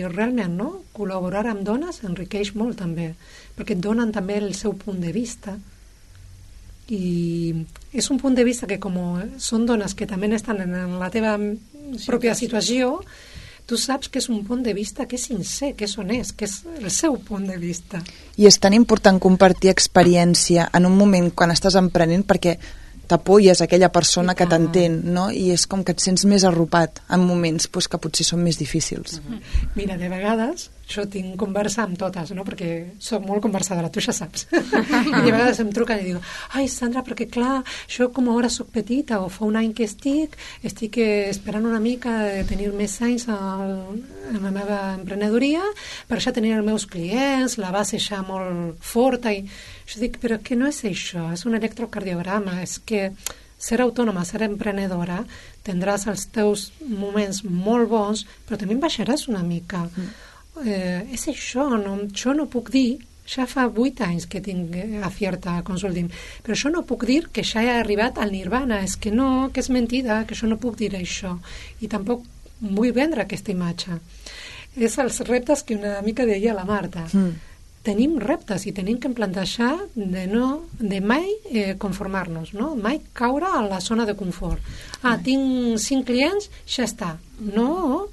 realment, no?, col·laborar amb dones enriqueix molt també, perquè et donen també el seu punt de vista. I és un punt de vista que com són dones que també estan en la teva pròpia situació, tu saps que és un punt de vista que és sincer, que és honest, que és el seu punt de vista. I és tan important compartir experiència en un moment quan estàs emprenent, perquè t'apoyes a aquella persona que t'entén, no? I és com que et sents més arropat en moments que potser són més difícils. Mira, de vegades jo tinc conversa amb totes, no?, perquè soc molt conversadora, tu ja saps. I de vegades em truquen i diuen, ai, Sandra, perquè clar, jo com ara soc petita o fa un any que estic esperant una mica de tenir més anys en la meva emprenedoria, per això tenir els meus clients, la base ja molt forta, i jo dic, però que no és això, és un electrocardiograma, és que ser autònoma, ser emprenedora, tindràs els teus moments molt bons, però també baixaràs una mica. És això, jo no puc dir, ja fa 8 anys que tinc a Fierta Consulting, però jo no puc dir que ja he arribat al nirvana, és que no, que és mentida, que jo no puc dir això, i tampoc vull vendre aquesta imatge. És els reptes que una mica deia la Marta. Tenim reptes i tenim que plantejar de mai conformar-nos, no? Mai caure a la zona de confort. Tinc 5 clients, ja està. No.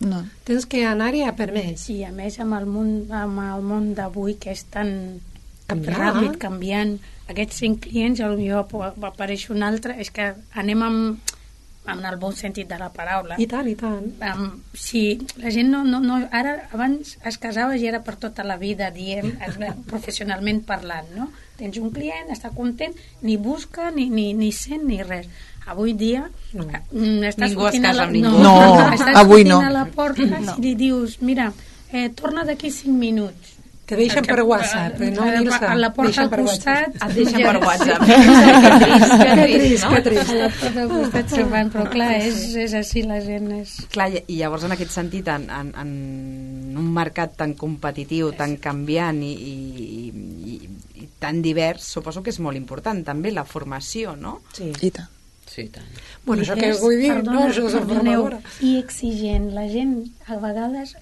Tens que anar-hi a per més. I a més amb el món d'avui, que és tan ràpid, canviant, aquests 5 clients, potser apareix un altre, és que anem amb el bon sentit de la paraula. I tant, i tant. Si la gent ara, abans es casava i era per tota la vida, diem, professionalment parlant, no? Tens un client, està content, ni busca, ni sent, ni res. Avui dia estàs sortint a la porta i li dius, mira, torna d'aquí 5 minuts. Te deixen per WhatsApp, no? A la porta al costat... Et deixen per WhatsApp. Que trist. A la porta al costat se'n van, però clar, és així, la gent és... Clar, i llavors en aquest sentit, en un mercat tan competitiu, tan canviant i tan divers, suposo que és molt important també la formació, no? Sí. I tant. Sí, tant. Bueno, això que vull dir, no? Això és formadora. I exigent. La gent, a vegades,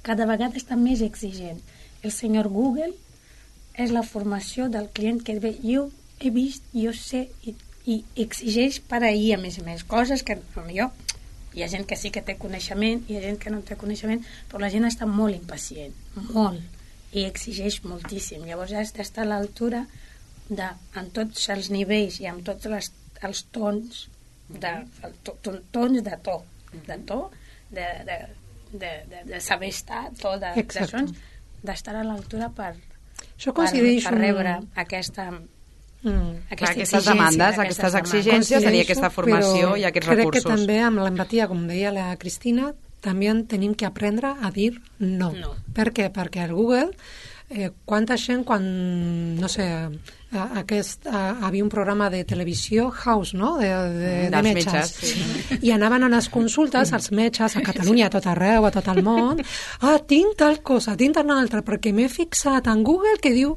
cada vegada està més exigent. El senyor Google és la formació del client que jo he vist, jo sé, i exigeix per ahir, a més, coses que potser hi ha gent que sí que té coneixement, hi ha gent que no té coneixement, però la gent està molt impacient, molt, i exigeix moltíssim. Llavors ja està a l'altura en tots els nivells i amb tots els tons de saber estar, de sons, d'estar a l'altura per rebre aquestes demandes, aquestes exigències, tenir aquesta formació i aquests recursos. Crec que també amb l'empatia, com deia la Cristina, també tenim que aprendre a dir no. Per què? Perquè el Google, quanta gent quan, no sé, havia un programa de televisió, House, no?, de metges. I anaven a les consultes als metges a Catalunya, a tot arreu, a tot el món. Tinc tal cosa, tinc tal altra, perquè m'he fixat en Google que diu...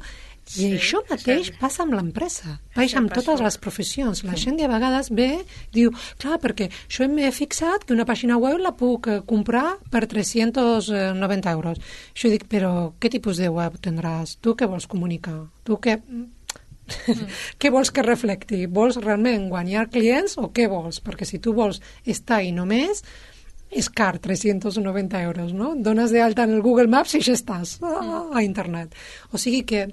I això mateix passa amb l'empresa, passa amb totes les professions. La gent de vegades ve, diu, clar, perquè jo m'he fixat que una pàgina web la puc comprar per 390 euros. Jo dic, però què tipus de web tindràs? Tu què vols comunicar? Tu què... Què vols que reflecti? Vols realment guanyar clients o què vols? Perquè si tu vols estar i només, és car, 390 euros, no? Dones d'alta en el Google Maps i ja estàs a internet. O sigui que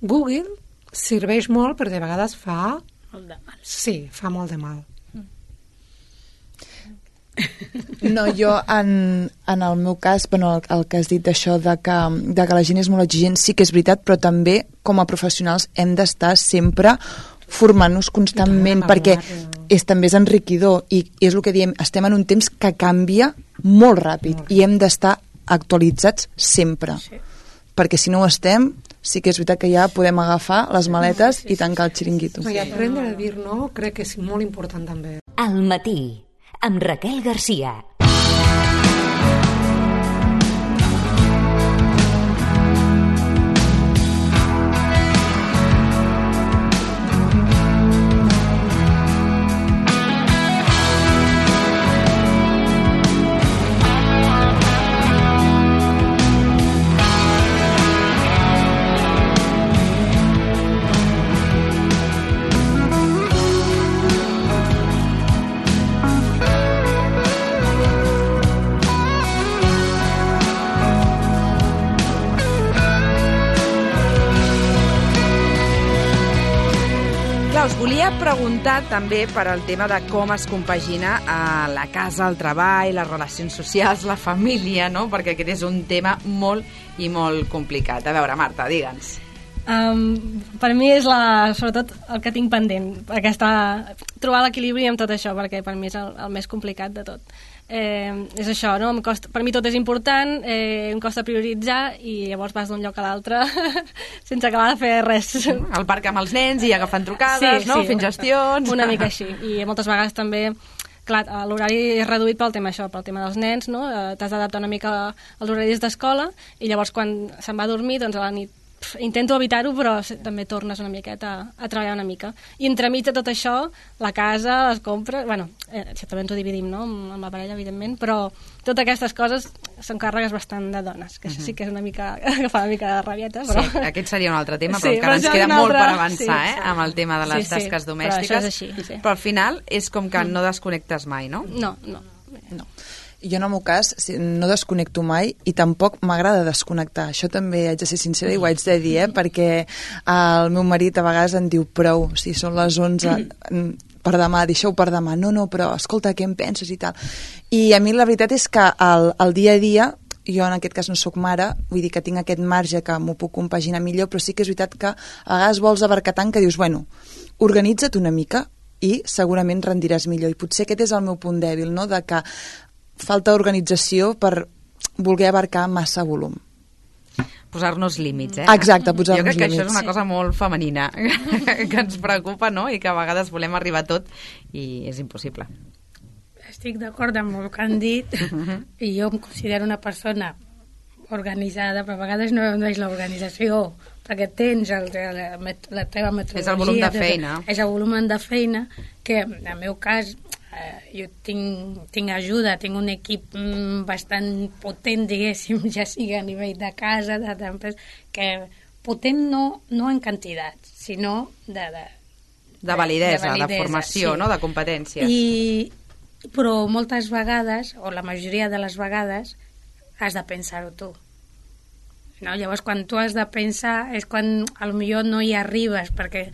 Google serveix molt, però de vegades fa... Molt de mal. Sí, fa molt de mal. No, jo en el meu cas, bueno, el que has dit d'això de que la gent és molt exigent, sí que és veritat, però també com a professionals hem d'estar sempre formant-nos constantment, perquè també és enriquidor i és el que diem, estem en un temps que canvia molt ràpid i hem d'estar actualitzats sempre, perquè si no ho estem, sí que és veritat que ja podem agafar les maletes i tancar el xiringuito. I aprendre a dir no crec que és molt important també. Al matí, amb Raquel Garcia. Us volia preguntar també per al tema de com es compagina la casa, el treball, les relacions socials, la família, no? Perquè aquest és un tema molt i molt complicat. A veure, Marta, digue'ns. Per mi és sobretot el que tinc pendent, trobar l'equilibri amb tot això, perquè per mi és el més complicat de tot. És això, no? Per mi tot és important, em costa prioritzar i llavors vas d'un lloc a l'altre sense acabar de fer res. Al parc amb els nens i agafant trucades, no? Fent gestions. Una mica així. I moltes vegades també, clar, l'horari és reduït pel tema tema dels nens, no? T'has d'adaptar una mica als horaris d'escola i llavors quan se'n va a dormir, doncs a la nit intento evitar-ho, però també tornes una miqueta a treballar una mica. I entremig de tot això, la casa, les compres... Bueno, això també ens ho dividim, no?, amb la parella, evidentment, però totes aquestes coses són càrregues bastant de dones, que això sí que és una mica... que fa una mica de rabieta, però... Sí, aquest seria un altre tema, però encara ens queda molt per avançar, amb el tema de les tasques domèstiques. Però això és així, sí. Però al final és com que no desconnectes mai, no? No. Jo en el meu cas no desconnecto mai i tampoc m'agrada desconnectar. Això també haig de ser sincera i ho haig de dir, perquè el meu marit a vegades em diu prou, si són les 11 per demà, deixeu per demà. No, però escolta, què em penses i tal. I a mi la veritat és que el dia a dia, jo en aquest cas no sóc mare, vull dir que tinc aquest marge que m'ho puc compaginar millor, però sí que és veritat que a vegades vols abarcar tant que dius, bueno, organitza't una mica i segurament rendiràs millor. I potser aquest és el meu punt dèbil, no?, de que falta organització per voler abarcar massa volum. Posar-nos límits, Exacte, posar-nos límits. Jo crec que això és una cosa molt femenina, que ens preocupa, no?, i que a vegades volem arribar a tot i és impossible. Estic d'acord amb el que han dit i jo em considero una persona organitzada, però a vegades no és l'organització, perquè tens la teva metodologia. És el volum de feina. És el volum de feina que, en el meu cas, jo tinc ajuda, tinc un equip bastant potent, diguéssim, ja sigui a nivell de casa, d'empresa, que potent no en quantitat, sinó de validesa, de formació, sí. No?, de competències. Però moltes vegades, o la majoria de les vegades, has de pensar-ho tu. No? Llavors, quan tu has de pensar, és quan potser no hi arribes, perquè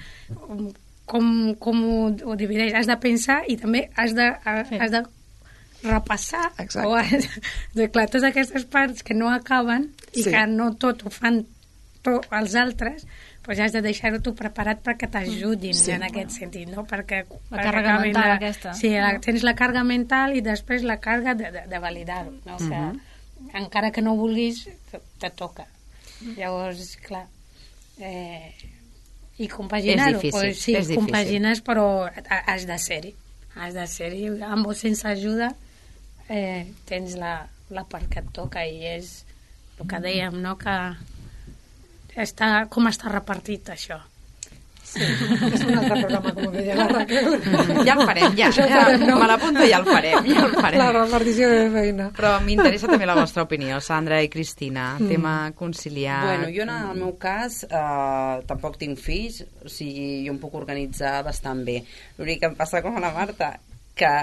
com ho divideix? Has de pensar i també has de repassar. Clar, totes aquestes parts que no acaben i que no tot ho fan els altres, doncs has de deixar-ho tu preparat perquè t'ajudin en aquest sentit, no? Perquè la càrrega mental aquesta. Sí, tens la càrrega mental i després la càrrega de validar-ho, no? Que encara que no vulguis, te toca. Llavors, clar... I compaginar-ho, pues sí, compagines, però has de ser-hi. Has de ser-hi, amb o sense ajuda tens la part que et toca i és el que dèiem, no?, que com està repartit això. Sí, és un altre programa, com deia la Raquel. Ja el farem, me l'apunto i ja el farem. La repartició de feina. Però m'interessa també la vostra opinió, Sandra i Cristina, tema conciliar... Bueno, jo en el meu cas tampoc tinc fills, o sigui, jo em puc organitzar bastant bé. L'únic que em passa com a la Marta, que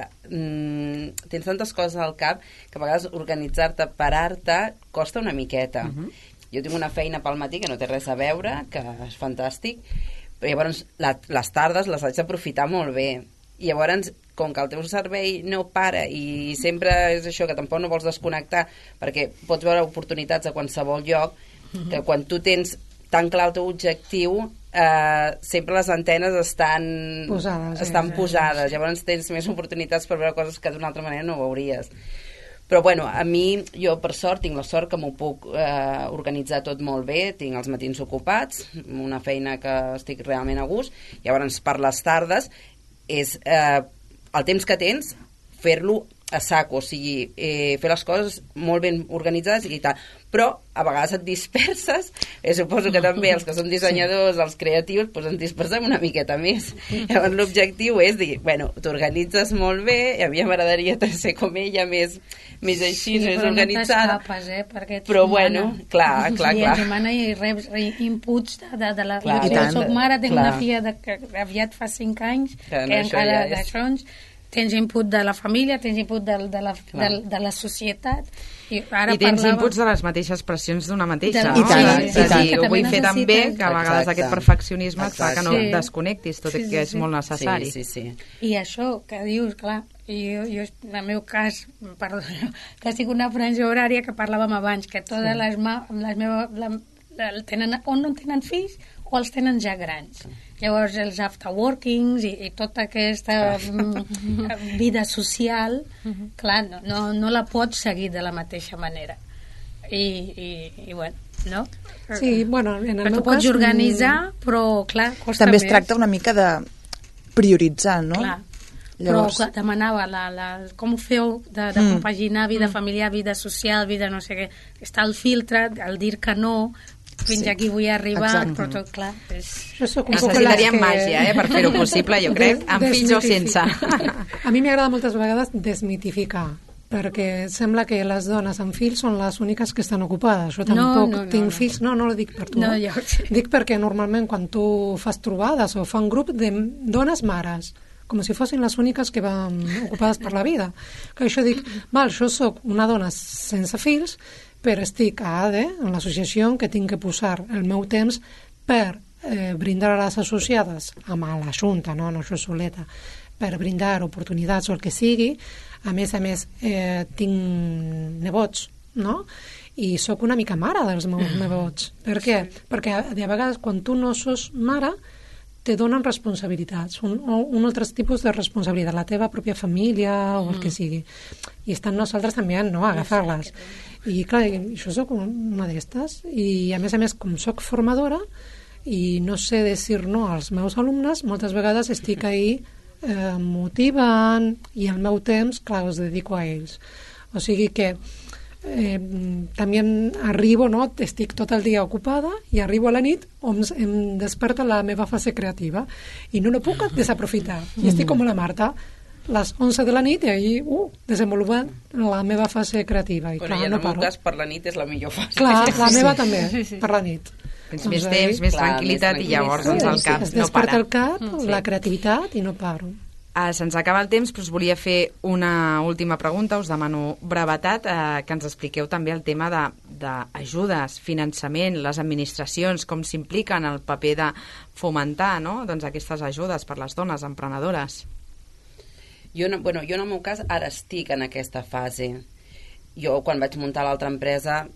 tens tantes coses al cap que a vegades organitzar-te, parar-te, costa una miqueta. Jo tinc una feina pel matí que no té res a veure, que és fantàstic, però llavors les tardes les haig d'aprofitar molt bé I llavors, com que el teu cervell no para i sempre és això, que tampoc no vols desconnectar, perquè pots veure oportunitats a qualsevol lloc, que quan tu tens tan clar el teu objectiu, sempre les antenes estan posades. Llavors tens més oportunitats per veure coses que d'una altra manera no veuries. Però bueno, a mi, jo per sort, tinc la sort que m'ho puc organitzar tot molt bé, tinc els matins ocupats, una feina que estic realment a gust, llavors per les tardes és el temps que tens fer-lo a saco, o sigui, fer les coses molt ben organitzades i tal. Però a vegades et disperses, suposo que també els que som dissenyadors, els creatius, doncs ens dispersem una miqueta més. Llavors l'objectiu és dir, bueno, t'organitzes molt bé, i a mi m'agradaria ser com ella, més així, més organitzada. No t'escapes, però bueno, clar. I ens demana i reps inputs de la... Jo soc mare, tinc una filla que aviat fa 5 anys, que encara d'això tens input de la família, tens input de la societat. I tens inputs de les mateixes pressions d'una mateixa, no? I tant. És a dir, ho vull fer tan bé que a vegades aquest perfeccionisme et fa que no et desconnectis, tot i que és molt necessari. I això que dius, clar, jo en el meu cas, perdó, que estic una franja horària que parlàvem abans, que totes les meves tenen o no tenen fills o els tenen ja grans. Llavors els afterworkings i tota aquesta vida social, clar, no la pots seguir de la mateixa manera. I bueno, no? Sí, bueno, en el meu cas... Tu pots organitzar, però clar, costa també més. Es tracta una mica de prioritzar, no? Clar. Llavors... Però demanava com ho feu de compaginar vida familiar, vida social, vida no sé què. Està el filtre, el dir que no, fins aquí vull arribar, però tot clar. Necessitaríem màgia per fer-ho possible, jo crec, amb fills o sense. A mi m'agrada moltes vegades desmitificar, perquè sembla que les dones amb fills són les úniques que estan ocupades. Jo tampoc tinc fills, no ho dic per tu. Dic perquè normalment quan tu fas trobades o fan grup de dones mares, com si fossin les úniques que van ocupades per la vida. Que això dic, jo soc una dona sense fills, però estic a ADE, en l'associació, que tinc que posar el meu temps per brindar a les associades amb la Junta, no això soleta, per brindar oportunitats o el que sigui. A més, tinc nebots, no? I sóc una mica mare dels meus nebots. Per què? Perquè de vegades quan tu no sos mare te donen responsabilitats, un altre tipus de responsabilitat, la teva pròpia família o el que sigui. I estan nosaltres també a agafar-les. I clar, jo soc una d'estes i a més, com soc formadora i no sé dir no als meus alumnes, moltes vegades estic ahí motivant i el meu temps, clar, els dedico a ells. O sigui que també arribo, no? Estic tot el dia ocupada i arribo a la nit on em desperta la meva fase creativa i no puc desaprofitar. I estic com la Marta, les 11 de la nit i ahir desenvolupant la meva fase creativa. I clar, clar, en no el meu paro. cas per la nit és la millor fase. Clar, la meva també, per la nit. Tens més temps, més tranquil·litat i llavors el cap no para. Es desperta el cap, la creativitat i no paro. Se'ns acaba el temps, però us volia fer una última pregunta. Us demano brevetat, que ens expliqueu també el tema d'ajudes, finançament, les administracions, com s'impliquen el paper de fomentar, no? Doncs aquestes ajudes per les dones emprenedores. Jo en el meu cas ara estic en aquesta fase. Jo quan vaig muntar l'altra empresa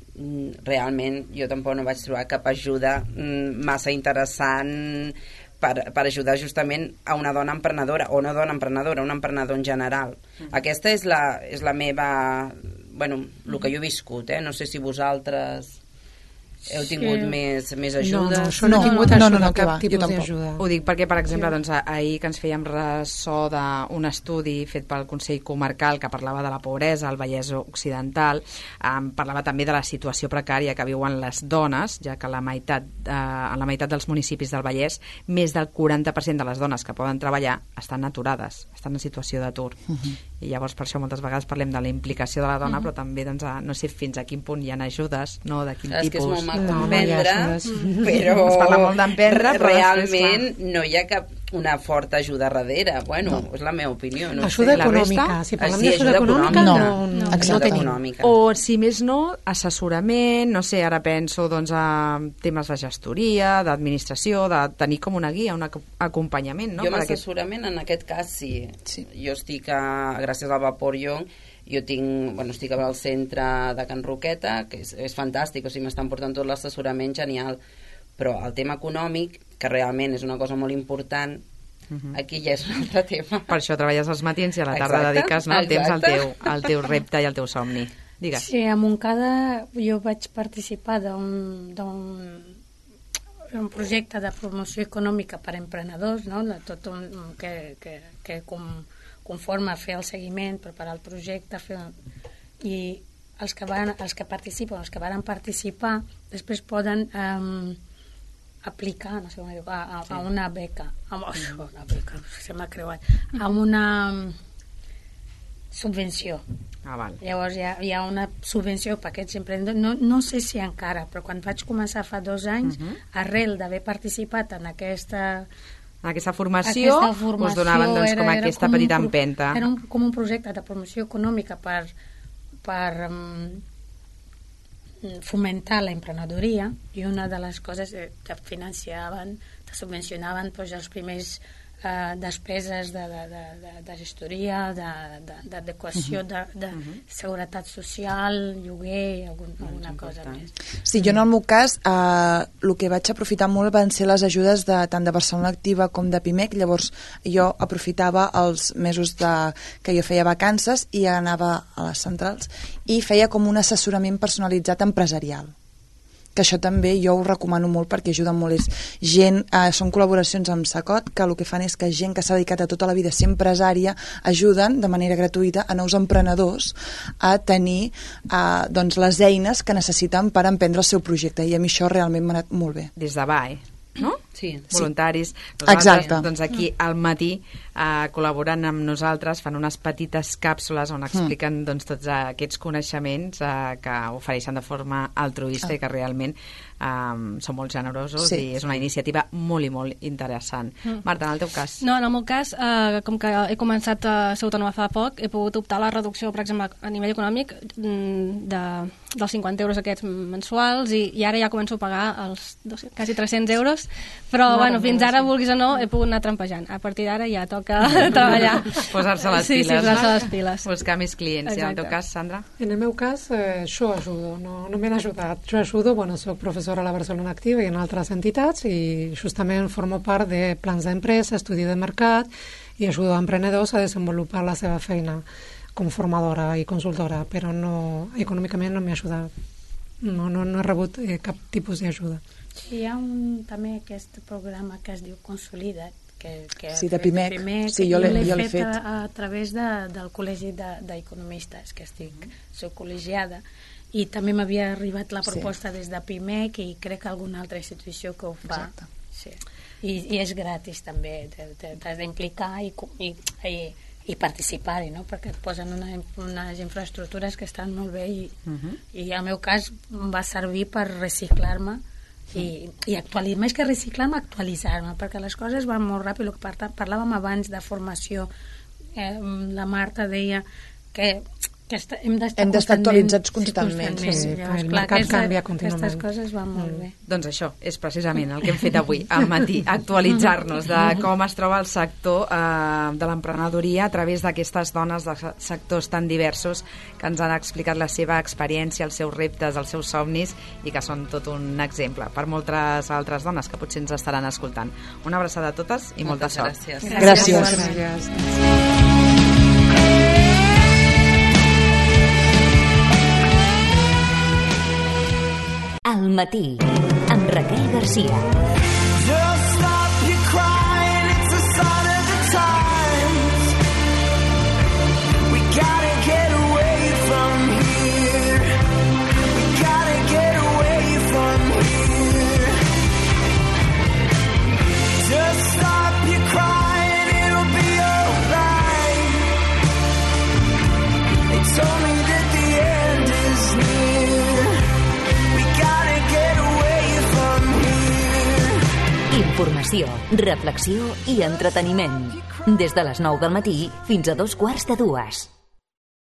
realment jo tampoc no vaig trobar cap ajuda massa interessant per ajudar justament a una dona emprenedora, o una dona emprenedora, un emprenedor en general. Aquesta és la meva... el que jo he viscut, no sé si vosaltres heu tingut més ajudes. No he tingut cap tipus d'ajuda. Ho dic perquè, per exemple, ahir que ens fèiem ressò d'un estudi fet pel Consell Comarcal que parlava de la pobresa al Vallès Occidental, parlava també de la situació precària que viuen les dones, ja que en la meitat dels municipis del Vallès més del 40% de les dones que poden treballar estan aturades, estan en situació d'atur. I llavors per això moltes vegades parlem de la implicació de la dona, però també no sé fins a quin punt hi ha ajudes, no, de quin tipus. És que és molt mal d'emprendre, però es parla molt d'emprendre, realment no hi ha cap... una forta ajuda darrere. Bueno, és la meva opinió. No ajuda sé. econòmica. Si parlem d'ajuda econòmica, no tenim. O, si més no, assessorament, no sé, ara penso doncs, a temes de gestoria, d'administració, de tenir com una guia, un acompanyament, no? Jo amb assessorament, en aquest cas, sí. Jo estic, gràcies al Vapor Young, estic al centre de Can Roqueta, que és fantàstic, o sigui, m'estan portant tot l'assessorament genial, però el tema econòmic, que realment és una cosa molt important, aquí ja és un altre tema. Per això treballes als matins i a la tarda dediques el temps al teu repte i al teu somni. Digues. Sí, a Montcada jo vaig participar d'un projecte de promoció econòmica per a emprenedors, no? Tot que conforma fer el seguiment, preparar el projecte, i els que participen, els que van participar, després poden aplicar, no sé com diu, a una beca, una beca, se m'ha creuat, a una subvenció. Val. Llavors hi ha una subvenció per aquests emprenedors, no sé si encara, però quan vaig començar fa 2 anys, arrel d'haver participat en aquesta formació, us donaven doncs, com aquesta petita empenta. Era com un projecte de promoció econòmica per fomentar la emprenedoria, i una de les coses que financiaven, que subvencionaven els primers despeses de gestoria, d'adequació, de seguretat social, lloguer, alguna cosa més. Sí, jo en el meu cas el que vaig aprofitar molt van ser les ajudes tant de Barcelona Activa com de PIMEC. Llavors jo aprofitava els mesos que jo feia vacances i anava a les centrals i feia com un assessorament personalitzat empresarial, que això també jo ho recomano molt perquè ajuda molt. Són col·laboracions amb Sacot, que el que fan és que gent que s'ha dedicat a tota la vida a ser empresària ajuden de manera gratuïta a nous emprenedors a tenir les eines que necessiten per emprendre el seu projecte, i a mi això realment m'ha anat molt bé. Des de BAE, no? Sí. Voluntaris. Exacte. Doncs aquí al matí col·laboren amb nosaltres, fan unes petites càpsules on expliquen tots aquests coneixements que ofereixen de forma altruista i que realment són molt generosos, i és una iniciativa molt i molt interessant. Marta, en el teu cas? No, en el meu cas, com que he començat a ser autònoma fa poc, he pogut optar a la reducció, per exemple, a nivell econòmic dels 50 euros aquests mensuals, i ara ja començo a pagar els quasi 300 euros, però fins ara, vulguis o no, he pogut anar trampejant. A partir d'ara ja toca treballar. Posar-se les piles. Sí, posar-se les piles. Buscar més clients. I en el teu cas, Sandra? En el meu cas, jo ajudo, no m'he ajudat. Jo ajudo, soc professora a la Barcelona Activa i en altres entitats, i justament formo part de plans d'empresa, estudi de mercat, i ajudo a emprenedors a desenvolupar la seva feina com formadora i consultora, però econòmicament no m'he ajudat. No he rebut cap tipus d'ajuda. Sí, hi ha també aquest programa que es diu Consolida't, sí, de PIMEC. Sí, jo l'he fet a través del Col·legi d'Economistes, que soc col·legiada, i també m'havia arribat la proposta des de PIMEC, i crec que alguna altra institució que ho fa. Sí. I és gratis també, t'has d'implicar i participar-hi, no? Perquè et posen unes infraestructures que estan molt bé, i al meu cas em va servir per reciclar-me i actualitzar, més que reciclar-me, actualitzar-me, perquè les coses van molt ràpid. El que parlàvem abans de formació, la Marta deia que hem d'estar actualitzats constantment. El mercat canvia contínuament. Aquestes coses van molt bé. Doncs això és precisament el que hem fet avui al matí, actualitzar-nos de com es troba el sector de l'emprenedoria a través d'aquestes dones de sectors tan diversos que ens han explicat la seva experiència, els seus reptes, els seus somnis, i que són tot un exemple per moltes altres dones que potser ens estaran escoltant. Una abraçada a totes i molta sort. Gràcies. Al matí, amb Raquel Garcia. Just stop your crying, it's a sign of the times. We gotta get away from here. We gotta get away from here. Just stop your crying, it'll be alright. They told me that the end is near. We gotta get away from here. Informació, reflexió i entreteniment. Des de les 9 del matí fins a 2:15.